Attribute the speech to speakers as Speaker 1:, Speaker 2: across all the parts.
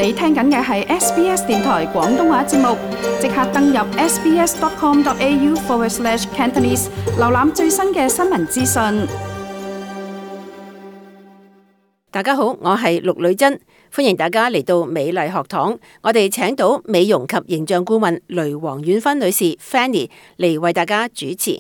Speaker 1: 你聽緊嘅係 SBS 電台廣東話節目，即刻登入 sbs.com.au/Cantonese 瀏覽最新嘅新聞資訊。
Speaker 2: 大家好，我係陸女珍，歡迎大家嚟到美麗學堂。我哋請到美容及形象顧問雷黃婉芬女士 Fanny 嚟為大家主持。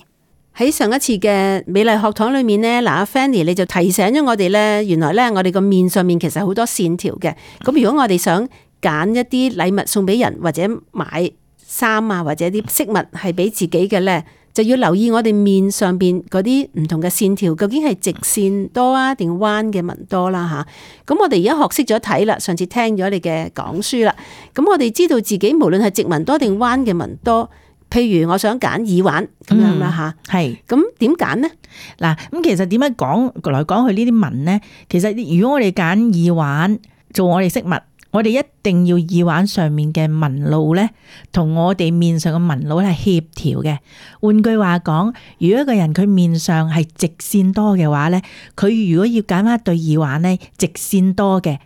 Speaker 2: 喺上一次嘅美麗學堂裏面呢，嗱，Fanny 你就提醒咗我哋呢，原來呢，我哋個面上面其實好多線條嘅。咁如果我哋想揀一啲禮物送俾人，或者買衫啊，或者啲飾物係俾自己嘅呢，就要留意我哋面上邊嗰啲唔同嘅線條，究竟係直線多啊，定彎嘅紋多啦吓。咁我哋而家學識咗睇啦，上次聽咗你嘅講書啦，咁我哋知道自己無論係直紋多定彎嘅紋多。譬如我想揀耳環咁樣啦吓，係咁點揀呢？
Speaker 3: 嗱，咁其實點樣講來講去呢啲紋呢？其實如果我哋揀耳環做我哋飾物，我哋一定要耳環上面嘅紋路咧，同我哋面上嘅紋路係協調嘅。換句話講，如果一個人佢面上係直線多嘅話咧，佢如果要揀翻一對耳環咧，直線多嘅，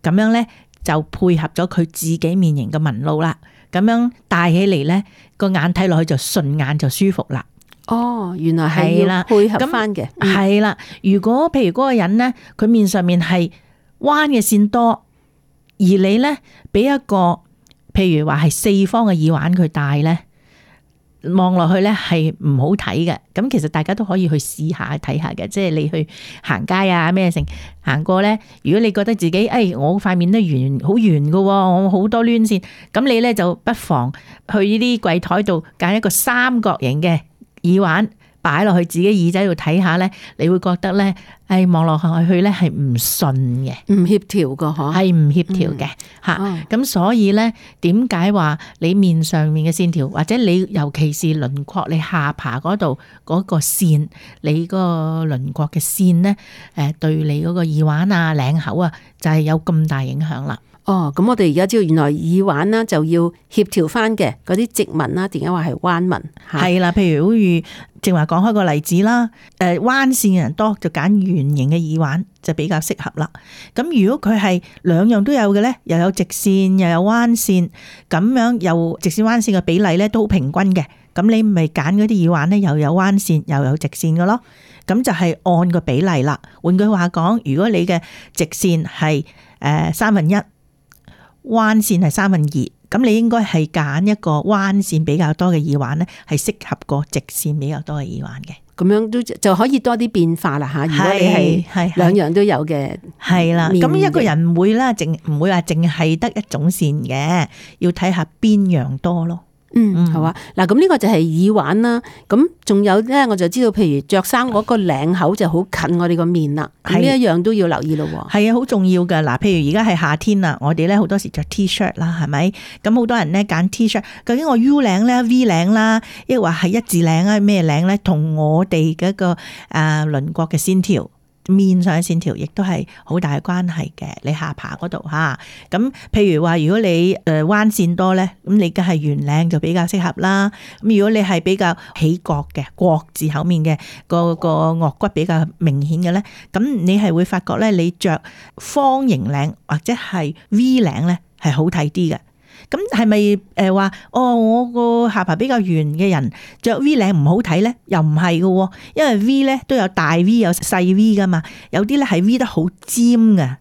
Speaker 3: 咁樣咧就配合咗佢自己面型嘅紋路啦。咁樣戴起嚟咧，個眼睇落去就順眼就舒服啦。
Speaker 2: 哦，原來係要配合翻嘅。
Speaker 3: 係啦，如果譬如嗰個人咧，佢面上面係彎嘅線多，而你咧俾一個譬如話係四方嘅耳環佢戴咧，望落去咧係唔好睇嘅。咁其實大家都可以去試下睇下嘅，即係你去行街啊咩成行過咧，如果你覺得自己我塊面都圓好圓㗎喎，我好多攣線，咁你咧就不妨去呢啲櫃台度揀一個三角形嘅耳環擺落去自己耳仔度睇下咧，你會覺得咧，望落去咧係唔順嘅，
Speaker 2: 唔協調㗎嗬，
Speaker 3: 係唔協調嘅吓。咁所以咧，點解話你面上面嘅線條，或者你尤其是輪廓，你下巴嗰度嗰個線，你嗰個輪廓嘅線咧，對你嗰個耳環啊、領口啊，就係有咁大影響啦。
Speaker 2: 哦，咁我哋而家知道原來耳環啦就要協調翻嘅，嗰啲直紋啦，點解話係彎紋？
Speaker 3: 係啦，譬如好似正話講開個例子啦，彎線嘅人多就揀圓形嘅耳環就比較適合啦。咁如果佢係兩樣都有嘅咧，又有直線又有彎線，咁樣又直線彎線嘅比例咧都好平均嘅，咁你咪揀嗰啲耳環咧又有彎線又有直線嘅咯。咁就係按個比例啦。換句話講，如果你嘅直線係1/3，彎線係2/3，咁你應該係揀一個彎線比較多嘅耳環咧，係適合過直線比較多嘅耳環嘅。
Speaker 2: 咁樣都就可以多啲變化啦吓。如果你係兩樣都有嘅，
Speaker 3: 係啦。咁一個人唔會啦，唔會話淨係得一種線嘅，要睇下邊樣多咯。
Speaker 2: 好啊。嗱，咁呢個就係耳環啦。咁仲有咧，我就知道，譬如着衫嗰個領口就好近我哋個面啦。呢一樣都要留意咯。
Speaker 3: 係啊，好重要噶。嗱，譬如而家係夏天啦，我哋咧好多時着 T-shirt 啦，係咪？咁好多人咧揀 T-shirt， 究竟我 U 領咧、V 領啦，抑或係一字領啊？咩領咧？同我哋嗰個輪廓嘅線條。面上嘅線條亦都係好大嘅關係嘅，你下巴嗰度吓，咁譬如話如果你彎線多咧，咁你梗係圓領就比較適合啦。咁如果你係比較起角嘅國字口面嘅，個顎骨比較明顯嘅咧，咁你係會發覺咧，你着方形領或者係 V 領咧係好睇啲嘅。咁係咪話我個下巴比較圓嘅人着 V 領唔好睇咧？又唔係嘅，因為 V 咧都有大 V 有細 V 噶嘛，有啲咧係 V 得好尖嘅，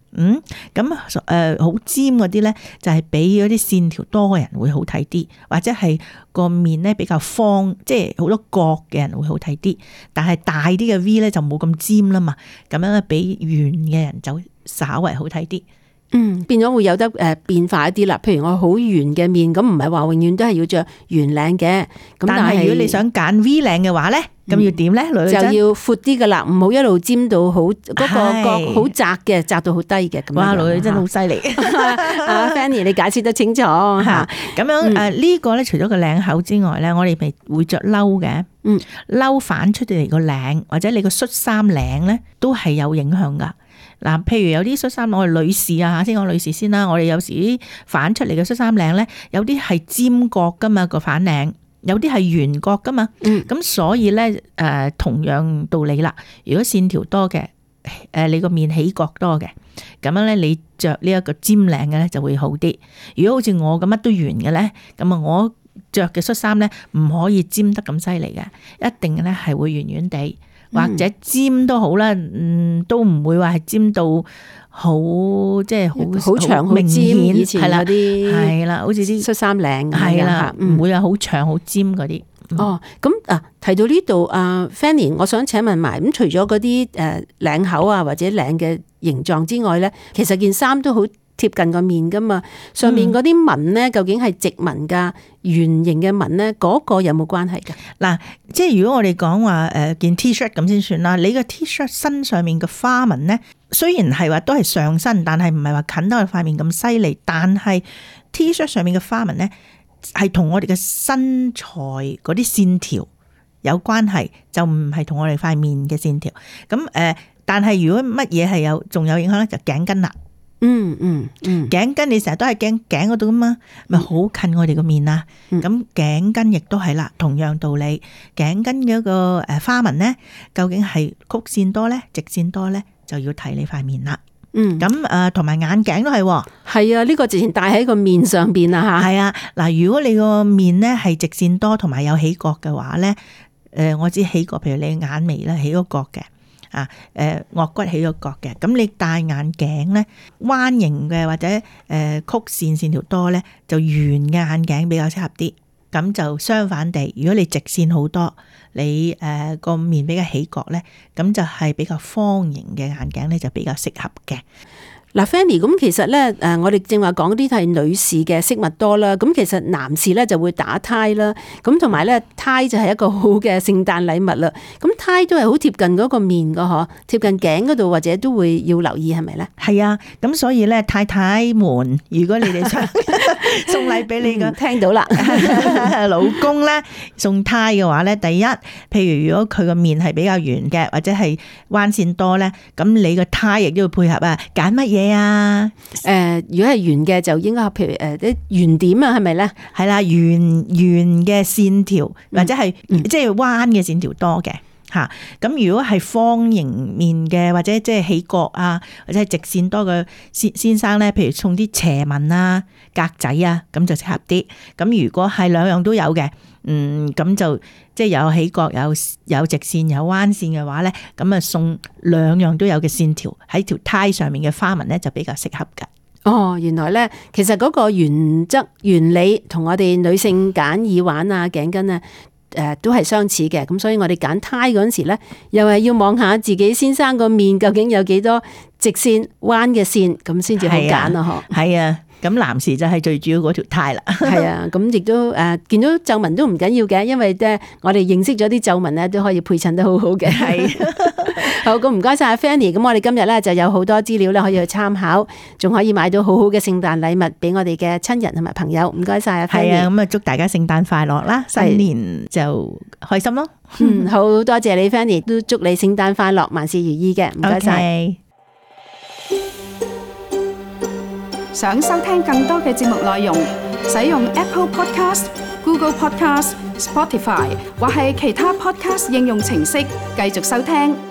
Speaker 3: 咁好尖嗰啲咧就係比嗰啲線條多嘅人會好睇啲，或者係個面咧比較方，即係好多角嘅人會好睇啲，但係大啲嘅 V 咧就冇咁尖啦嘛，咁樣咧比圓嘅人就稍為好睇啲。
Speaker 2: 變咗會有得變化一啲啦。譬如我好圓嘅面，咁唔係話永遠都係要着圓領嘅。咁但係如果
Speaker 3: 你想揀 V 領嘅話咧，咁要點咧？就
Speaker 2: 要闊啲噶啦，唔好一路尖到好嗰個角好窄嘅，窄到好低嘅。
Speaker 3: 哇，女真係好犀利。
Speaker 2: Fanny 你解釋得清楚吓。
Speaker 3: 咁樣呢個咧，除咗個領口之外咧，我哋咪會着褸嘅。褸反出嚟個領或者你個恤衫領咧，都係有影響噶。嗱，譬如有啲恤衫，我哋女士啊，先講女士先啦。我哋有時反出嚟嘅恤衫領咧，有啲係尖角噶嘛，個反領，有啲係圓角噶嘛。咁所以咧，同樣道理啦。如果線條多嘅，你個面起角多嘅，咁樣咧你着呢一個尖領嘅咧就會好啲。如果好似我咁乜都圓嘅咧，咁啊我着嘅恤衫咧唔可以尖得咁犀利嘅，一定咧係會圓圓地，或者尖都好啦，都唔會話係尖到好即係好
Speaker 2: 長好
Speaker 3: 明顯，
Speaker 2: 以前嗰啲
Speaker 3: 係啦，好似啲
Speaker 2: 恤衫領
Speaker 3: 係啦，唔會話好長好尖嗰啲。
Speaker 2: 哦，咁提到呢度Fanny， 我想請問埋，咁除咗嗰啲領口啊或者領嘅形狀之外咧，其實件衫都好貼近個面噶嘛，上面嗰啲紋咧究竟係直紋噶圓形嘅紋咧，嗰個有冇關係噶？
Speaker 3: 嗱，即係如果我哋講話件 T-shirt 咁先算啦，你個 T-shirt 身上面嘅花紋咧，雖然係話都係上身，但係唔係話近到塊面咁犀利，但係 T-shirt 上面嘅花紋咧係同我哋嘅身材嗰啲線條有關係，就唔係同我哋塊面嘅線條。咁但係如果乜嘢係仲有影響咧，就頸巾啦。頸巾你成日都係頸嗰度噶嘛，咪好近我哋個面啊。咁頸巾亦都係啦，同樣道理，頸巾嘅一個花紋咧，究竟係曲線多咧，直線多咧，就要睇你塊面啦。咁同埋眼鏡都係。
Speaker 2: 係啊，呢個之前戴喺個面上邊啊吓。
Speaker 3: 係啊，嗱，如果你個面咧係直線多，同埋有起角嘅話咧，我知起角，譬如你眼眉咧起咗角嘅。顎骨起咗角嘅，咁你戴眼鏡咧，彎形嘅或者曲線條多咧，就圓嘅眼鏡比較適合啲。咁就相反地，如果你直線好多，你個面比較起角咧，咁就係比較方形嘅眼鏡咧就比較適合嘅。
Speaker 2: 嗱 Fanny， 咁其實咧，我哋正話講啲係女士嘅飾物多啦，咁其實男士咧就會打呔啦，咁同埋咧呔就係一個好嘅聖誕禮物啦。咁呔都係好貼近嗰個面噶嗬，貼近頸嗰度或者都會要留意係咪咧？
Speaker 3: 係啊，咁所以咧太太們，如果你哋想送禮俾你嘅
Speaker 2: 聽到啦，
Speaker 3: 老公咧送呔嘅話咧，第一，譬如如果佢個面係比較圓嘅，或者係彎線多咧，咁你個呔亦都要配合啊，揀乜嘢？
Speaker 2: 如果係圓嘅就應該譬如啲圓點啊，係咪咧？
Speaker 3: 係啦，圓嘅線條或者係即係彎嘅線條多嘅吓。咁如果係方形面嘅或者即係起角啊，或者係直線多嘅先生咧，譬如送啲斜紋啊、格仔啊，咁就適合啲。咁如果係兩樣都有嘅。咁就即係有起角有直線有彎線嘅話咧，咁啊送兩樣都有嘅線條喺條呔上面嘅花紋咧就比較適合噶。
Speaker 2: 哦，原來咧其實嗰個原則原理同我哋女性揀耳環啊、頸巾啊都係相似嘅。咁所以我哋揀呔嗰陣時咧，又係要望下自己先生個面究竟有幾多直線彎嘅線，咁先至好揀啊！嗬，
Speaker 3: 係啊。咁男士就係最主要嗰條呔啦，
Speaker 2: 係啊，咁亦都見到皺紋都唔緊要嘅，因為我哋認識咗啲皺紋咧都可以配襯得好好嘅。係，好，咁唔該晒阿 Fanny， 咁我哋今日咧就有好多資料咧可以去參考，仲可以買到好好嘅聖誕禮物俾我哋嘅親人同埋朋友。唔該晒阿 Fanny。係啊，
Speaker 3: 咁啊祝大家聖誕快樂啦，新年就開心咯。
Speaker 2: 好多謝你 Fanny， 都祝你聖誕快樂，萬事如意嘅。唔該晒。
Speaker 1: 想收聽更多嘅節目內容，使用 Apple Podcast、Google Podcast、Spotify 或係其他 Podcast 應用程式繼續收聽。